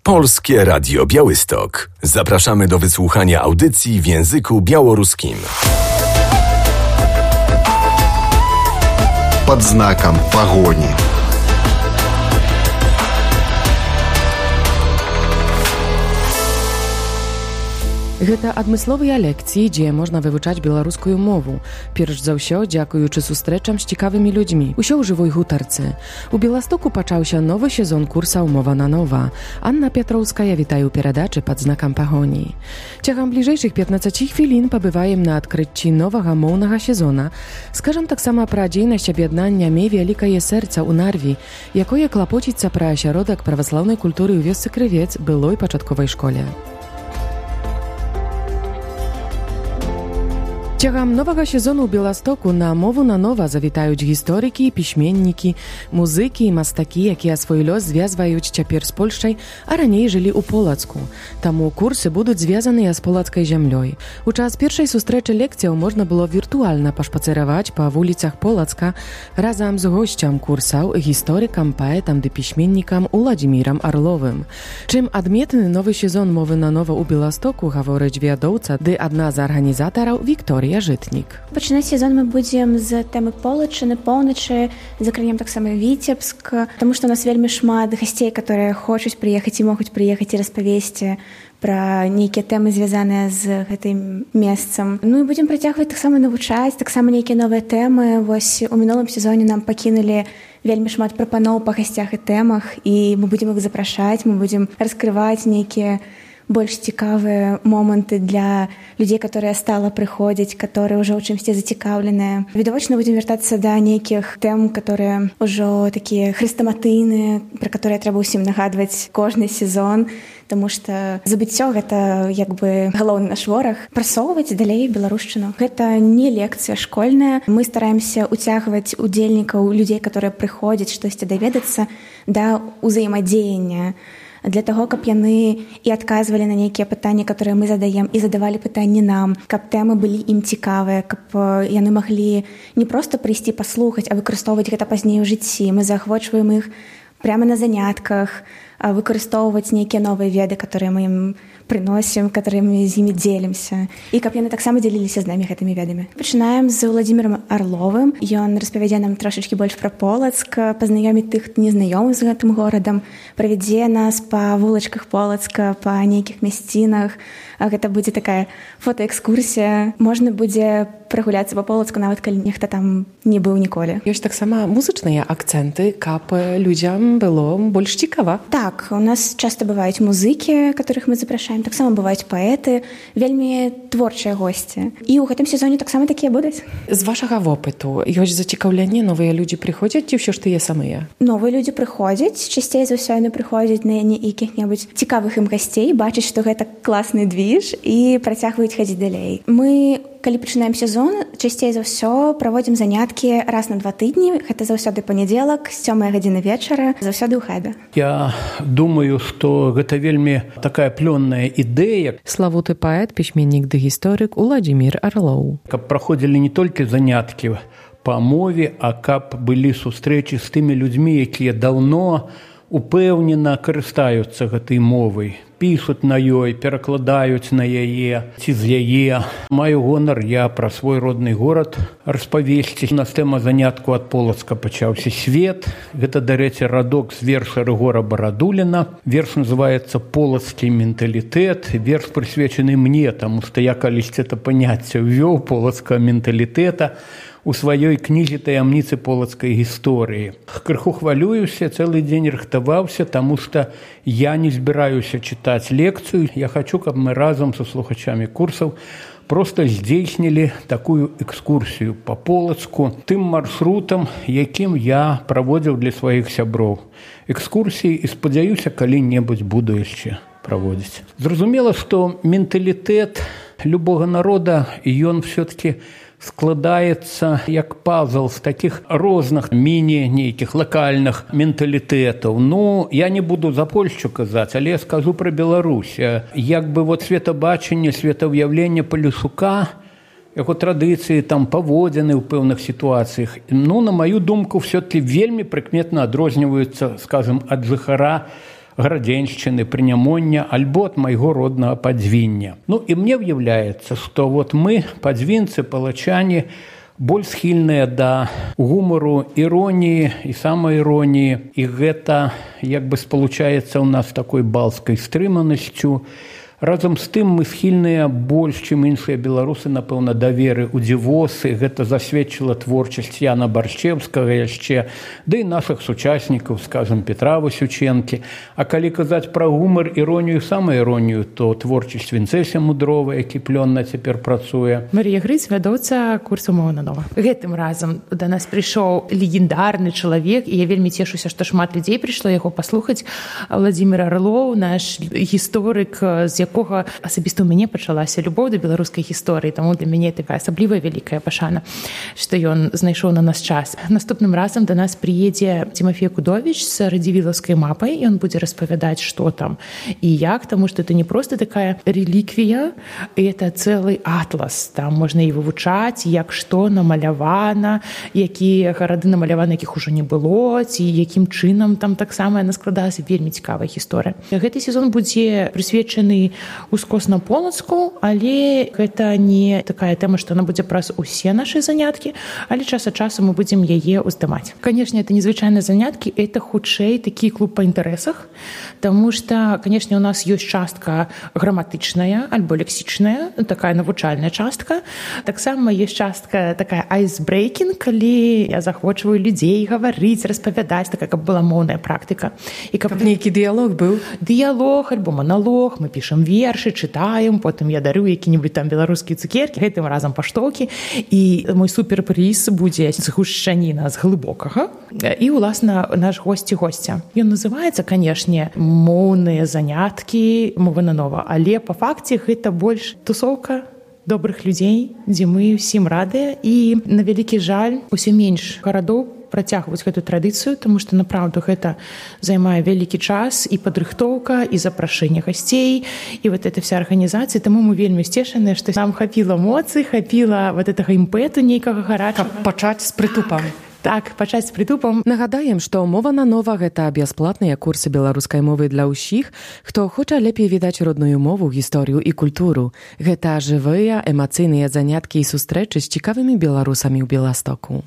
Polskie Radio Białystok. Zapraszamy do wysłuchania audycji w języku białoruskim. Под знаком погони. Гэта адмысловыя лекцыі, дзе можна вывучаць беларускую мову. Перш за ўсё, дзякуючы сустрэчам з цікавымі людзьмі. Усё ў жывой гутарцы. У Беластоку пачаўся новы сезон курсаў «Мова на нова». Анна Пятроўская вітае ў перадачы «Пад знакам пагоні». Цягам бліжэйшых 15 хвілін пабываем на адкрыцці новага моўнага сезона. Скажам таксама пра дзейнасць аб'яднання «Мей вялікае сэрца» ў Нарві, якое клапоціцца пра асяродак праваслаўнай культуры ў вёсцы Крывец былой пачатковай школе. Цягам новага сезону ў Беластоку на мову на нова завітаюць гісторыкі, пісьменнікі, музыкі і мастакі, якія свой лёс звязваюць цяпер з Польшчай, а раней жылі ў Полацку. Таму курсы будуць звязаныя з полацкай зямлёй. У час першай сустрэчы лекцыяў можна было віртуальна пашпацыраваць па вуліцах Полацка разам з госцям курсаў, гісторыкам, паэтам ды пісьменнікам Уладзімірам Арловым. Чым адметны новы сезон мовы на нова ў Беластоку, гаворыць вядоўца ды адна з арганізатараў Вікторія Жытнік. Пачынаць сезон мы будзем з тэмы Полачыны, поўначы, закранем таксама Віцебск, таму што у нас вельмі шмат гасцей, которые хочуць прыехаць і могуць прыехаць і распавесці пра нейкія тэмы, звязаныя з гэтым месцам. Ну і будзем працягваць таксама навучаць, таксама нейкія новыя тэмы. Вось у мінулым сезоне нам пакінулі вельмі шмат прапаноў па гасцях і тэмах, і мы будзем іх запрашаць, мы будзем раскрываць нейкія больш цікавыя моманты для людзей, которые стала прыходзіць, которые ўжо ў чымсьці зацікаўленыя. Відавочна будзем вяртацца да нейкіх тэм, которые ўжо такія хрэстаматыйныя, пра которые трэба ўсім нагадваць кожны сезон, таму што забыццё гэта як бы галоўны наш вораг. Прасоўваць далей беларушчыну. Гэта не лекцыя школьная. Мы стараемся уцягваць удзельнікаў, людзей, которые прыходзяць штосьці даведацца, да ўзаемадзеяння, для таго, каб яны і адказвалі на нейкія пытанні, которые мы задаем, і задавалі пытанні нам, каб тэмы былі ім цікавыя, каб яны маглі не проста прыйсці паслухаць, а выкарыстоўваць гэта пазней у жыцці. Мы заахвочваем іх прямо на занятках, выкарыстоўваць нейкія новыя веды, которые мы ім прыносім, которымі з імі дзелімся, і каб яны таксама дзеліліся з намі гэтымі ведамі. Пачынаем з Уладзімірам Арловым. Ён распавядзе нам трошачкі больш пра Полацк, пазнаёміць тых, хто не знаёмы з гэтым горадам, правядзе нас па вулачках Полацка, па нейкіх мясцінах. Гэта будзе такая фотоэкскурсія. Можна будзе прагуляцца па Полацку, нават калі нехта там не быў ніколі. Ёсць таксама музычныя акцэнты, каб людзям было больш цікава. Так, у нас часта бываюць музыкі, которых мы запрашаем, таксама бываюць паэты, вельмі творчыя госці. І ў гэтым сезоне таксама такія будуць. З вашага вопыту ёсць зацікаўленне, новыя людзі прыходзяць ці ўсё ж тыя самыя? Новыя людзі прыходзяць, часцей за ўсё яны прыходзяць на якіх-небудзь цікавых ім гасцей, бачаць, што гэта класны движ і працягваюць хадзіць далей. Мы, калі пачынаем сезон, часцей за ўсё праводзім заняткі раз на 2 тыдні. Гэта заўсёды панядзелак, з 7 гадзіны вечара, заўсёды ў хэбе. Я думаю, што гэта вельмі такая плённая ідэя. Славуты паэт, пісьменнік ды гісторык Уладзімір Арлоў. Каб праходзілі не толькі заняткі па мове, а каб былі сустрэчы з тымі людзьмі, якія даўно упэўнена карыстаюцца гэтай мовай, пішуць на ёй, перакладаюць на яе ці з яе. Маю гонар я пра свой родны горад распавесці. У нас тэма занятку ад Полацка пачаўся свет. Гэта, дарэчы, радок з верша Рыгора Барадуліна. Верш называецца «Полацкі менталітэт». Верш прысвечаны мне, таму што я калісьці это паняцце ўвёў полацкага менталітэта у сваёй кнізе «Таямніцы полацкай гісторыі». Крыху хвалююся, цэлы дзень рыхтаваўся, таму што я не збіраюся чытаць лекцыю. Я хачу, каб мы разам са слухачамі курсаў проста здзейснілі такую экскурсію па Полацку тым маршрутам, якім я праводзіў для сваіх сяброў. Экскурсіі, і спадзяюся, калі-небудзь буду яшчэ праводзіць. Зразумела, што менталітэт любога народа, ён все-таки складаецца як пазл з такіх розных міні-нейкіх лакальных менталітэтаў. Ну, я не буду за Польшчу казаць, але я скажу пра Беларусь. Як бы вот светабачанне, светаўяўленне Палюшука, яго традыцыі, там паводзіны ў пэўных сітуацыях, ну, на маю думку, все-таки вельмі прыкметна адрозніваюцца, скажем, ад жыхара Градзеншчыны, Прынямоння, альбо ад майго роднага Падзвіння. Ну і мне ўяўляецца, што вот мы, падзвінцы, палачане, больш схільныя да гумару, іроніі і самаіроніі, і гэта як бы спалучаецца ў нас такой балскай стрыманасцю. Разам з тым мы схільныя больш, чым іншыя беларусы, напэўна, да веры ў дзівосы. Гэта засведчыла творчасць Яна Баршчэўскага яшчэ, ды і нашых сучаснікаў, скажам, Петра Васючэнкі. А калі казаць пра гумар, іронію, самаіронію, то творчасць Вінцэся Мудрова, які плённа цяпер працуе. Марія Грыць, вядоўца курсу «Мова на нова». Гэтым разам да нас прыйшоў легендарны чалавек, і я вельмі цешуся, што шмат людзей прыйшло яго паслухаць. Владзімір Арлоў, наш гісторык, з якога асабіста ў мяне пачалася любоў да беларускай гісторыі, таму для мяне такая асаблівая вялікая пашана, што ён знайшоў на нас час. Наступным разам да нас прыедзе Тимофей Кудовіч з радзівілаўскай мапай, ён будзе распавядаць, што там і як, таму што это не проста такая рэліквія, это цэлы атлас. Там можна і вывучаць, як што намалявана, якія гарады намаляваны, якіх ужо не было, ці якім чынам там таксама яна складалася. Вельмі цікавая гісторыя. Гэты сезон будзе прысвечаны ускосна-полацку, але гэта не такая тэма, што она будзе праз усе нашы заняткі, але час ад часу мы будзем яе ўздымаць. Канешне, это незвычайныя заняткі, это хутчэй такі клуб па інтарэсах, таму што, канешне, у нас ёсць частка граматычная альбо лексічная, такая навучальная частка. Таксама ёсць частка такая айсбрейкінг, калі я захвочваю людзей гаварыць, распавядаць, такая, каб была моўная практыка. І каб нейкі дыялог быў? Дыялог альбо маналог, мы пішам вершы, чытаем, потым я дарю які-небудзь там беларускія цукеркі, гэтым разам паштоўкі, і мой суперпрыз будзе згушчаніна з глыбокага. І, уласна, наш госць і госця. Ён называецца, канешне, моўныя заняткі «Мова на нова», але па факце гэта больш тусоўка добрых людзей, дзе мы ўсім радыя, і на вялікі жаль усё менш гарадоў працягваць гэту традыцыю, таму што направду гэта займае вялікі час і падрыхтоўка, і запрашэнне гасцей, і вот эта вся арганізацыя. Таму мы вельмі сцешаныя, што нам хапіла эмоцый, хапіла вот гэтага імпэту нейкага гарачага. Каб пачаць з прытупам. Так, пачаць з прытупам. Нагадаем, што «Мова на нова» – гэта бясплатныя курсы беларускай мовы для ўсіх, хто хоча лепей відаць родную мову, гісторыю і культуру. Гэта жывыя, эмацыйныя заняткі і сустрэчы з цікавымі беларусамі ў Беластоку.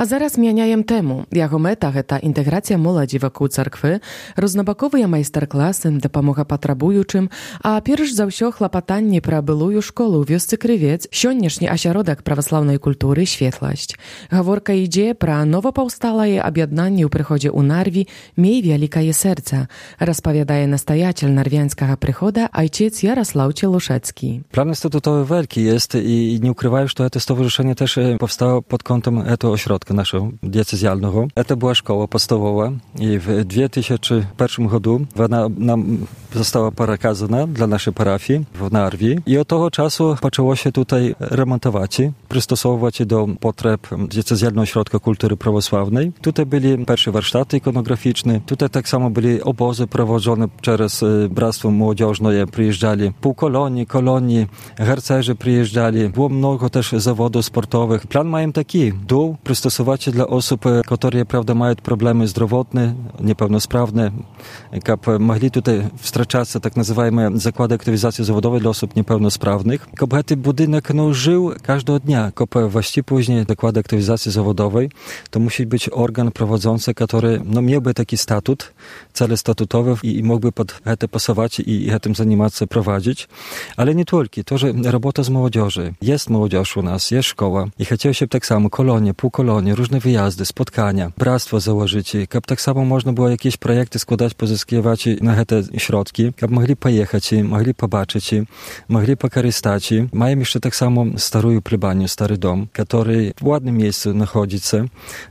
А зараз мяняем тэму. Яго мэта – гэта інтэграцыя моладзі вакол царквы, рознабаковыя майстар-класы, дапамога патрабуючым, а перш за ўсё хлапатанні пра былую школу ў вёсцы Крывец, сённяшні асяродак праваслаўнай культуры «Светласць». Гаворка ідзе пра новапаўсталае аб'яднанне ў прыходзе ў Нарві «Мей вялікае сэрца», распавядае настаятель нарвянскага прыхода айчец Ярослав Челушецki. Plan statutowy wielki jest i nie ukrywają, że to stowarzyszenie też powstało pod kątem tego ośrodka naszego diecezjalnego. To była szkoła podstawowa i w 2001 roku ona nam została przekazana dla naszej parafii w Narwi i od tego czasu zaczęło się tutaj remontować, przystosowywać do potrzeb diecezjalnego ośrodka kultury prawosławnej. Tutaj byli pierwsze warsztaty ikonograficzne, tutaj tak samo byli obozy prowadzone przez Bractwo Młodzieżne, przyjeżdżali półkolonii, harcerze przyjeżdżali, było mnogo też zawodów sportowych. Plan mają taki, dół przystosować dla osób, które prawda mają problemy zdrowotne, niepełnosprawne, aby mogli tutaj wstrzeczać tak nazywane zakłady aktywizacji zawodowej dla osób niepełnosprawnych. Aby ten budynek żył każdego dnia, aby właściwie później zakłady aktywizacji zawodowej, to musi być organ prowadzący, który miałby taki statut, cele statutowe i mógłby pod to pasować i tym zajmować się, prowadzić. Ale nie tylko, to, że robota z młodzieży. Jest młodzież u nas, jest szkoła i chciało się tak samo kolonie, półkolonie, różne wyjazdy, spotkania, bractwo założyć, aby tak samo można było jakieś projekty składać, pozyskiwać na te środki, aby mogli pojechać, mogli pobaczyć, mogli pokorzystać. Mają jeszcze tak samo starą plebanię, stary dom, który w ładnym miejscu znajduje się.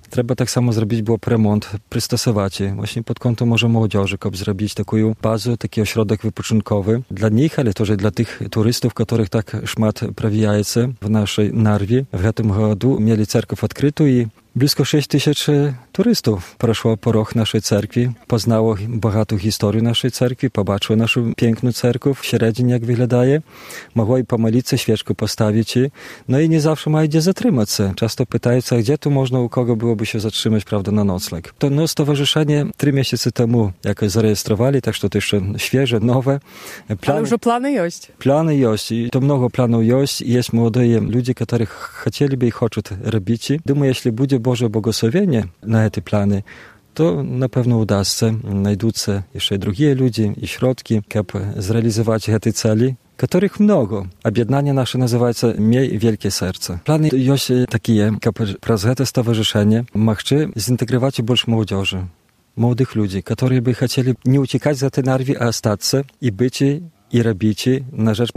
Trzeba tak samo zrobić było remont, przystosować właśnie pod kątem może młodzieży, aby zrobić taką bazę, taki ośrodek wypoczynkowy dla nich, ale też dla tych turystów, których tak szmat przewijają w naszej Narwie. W tym roku mieli cerkiew odkrytą i Blisko 6000 turystów przeszło porog naszej cerkwi, poznało bogatą historię naszej cerkwi, pobaczyło naszą piękną cerkiew, w średniej jak wyglądaje, mogło i pomolić się, świeczkę postawić. No i nie zawsze ma gdzie zatrzymać się. Często pytają się, gdzie tu można, u kogo byłoby się zatrzymać, prawda, na nocleg. To stowarzyszenie 3 miesiące temu jakoś zarejestrowali, tak że to jeszcze świeże, nowe. Ale już plany jest. Plany jest i to mnogo planów jest. Jest młodzi ludzie, którzy chcieliby i chcą robić. Думаю, jeśli będzie Boże błogosławienie na te plany, to na pewno uda się, znajdą się jeszcze drugie ludzie i środki, żeby zrealizować te cele, których mnogo. Objednanie nasze nazywa się Miej Wielkie Serce. Plany jest takie, żeby przez to stowarzyszenie mogły zintegrować больше młodzieży, młodych ludzi, którzy by chcieli nie uciekać za te narwy, a ostać i być i robić na rzecz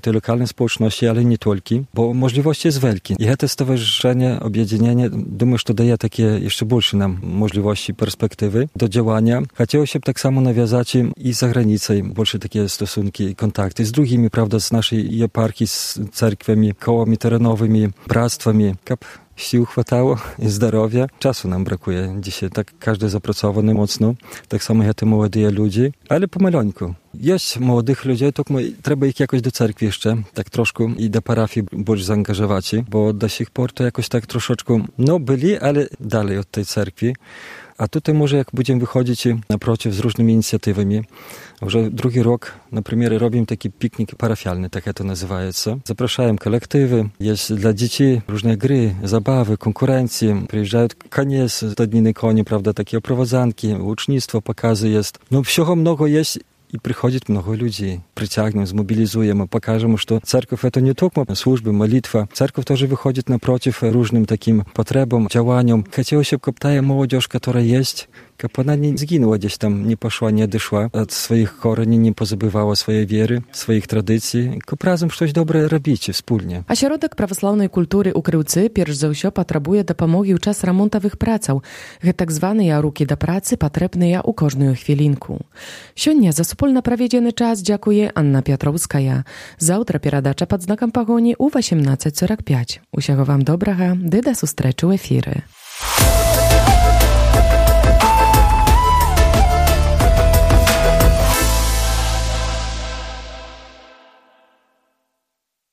tej lokalnej społeczności, ale nie tylko, bo możliwości jest wielkie. I to stowarzyszenie, objednienie, думаю, że daje takie jeszcze больше nam możliwości, perspektywy do działania. Chciało się tak samo nawiązać i za granicą, больше takie stosunki, kontakty z drugimi, prawda, z naszej eparchii, z cerkwiami, kołami terenowymi, bractwami, sił chwatało i zdrowia. Czasu nam brakuje dzisiaj, tak każdy zapracowany mocno, tak samo te młode ludzie, ale pomaleńku. Jest młodych ludzi, tylko trzeba ich jakoś do cerkwi jeszcze, tak troszkę i do parafii bardziej zaangażować, bo do sich por to jakoś tak troszeczkę, byli, ale dalej od tej cerkwi. A tutaj może jak będziemy wychodzić naprotiv z różnymi inicjatywami, już drugi rok, na przykład robimy taki piknik parafialny, tak to nazywa się. Zapraszają kolektywy, jest dla dzieci różne gry, zabawy, konkurencje, przyjeżdżają konie z dniny koni, prawda, takie oprowadzanki, ucznictwo, pokazy jest. Всего много jest. I przychodzi mnogo ludzi, przyciągniemy, zmobilizujemy, pokażemy, że cerkiew to nie tylko służby, modlitwa. Cerkiew też wychodzi naprotiv różnym takim potrzebom, działaniom. Chciało się, żeby ta młodzież, która jest, żeby ona nie zginęła gdzieś tam, nie poszła, nie odeszła od swoich korzeni, nie pozabywała swojej wiery, swoich tradycji, żeby razem coś dobre robić wspólnie. Ośrodek prawosławnej kultury u Kryłcy pierwszy za wszystko potrzebuje pomogi w czas remontowych praców. Tak zwane ruki do pracy potrzebne u każdą chwilinku. Сегодня za wspólnie проведены czas dziękuję Anna Piotrowska. Завтра передача pod znakiem pogoni u 18:45. Усяго вам добрага, ды да сустрэчы ў эфіры.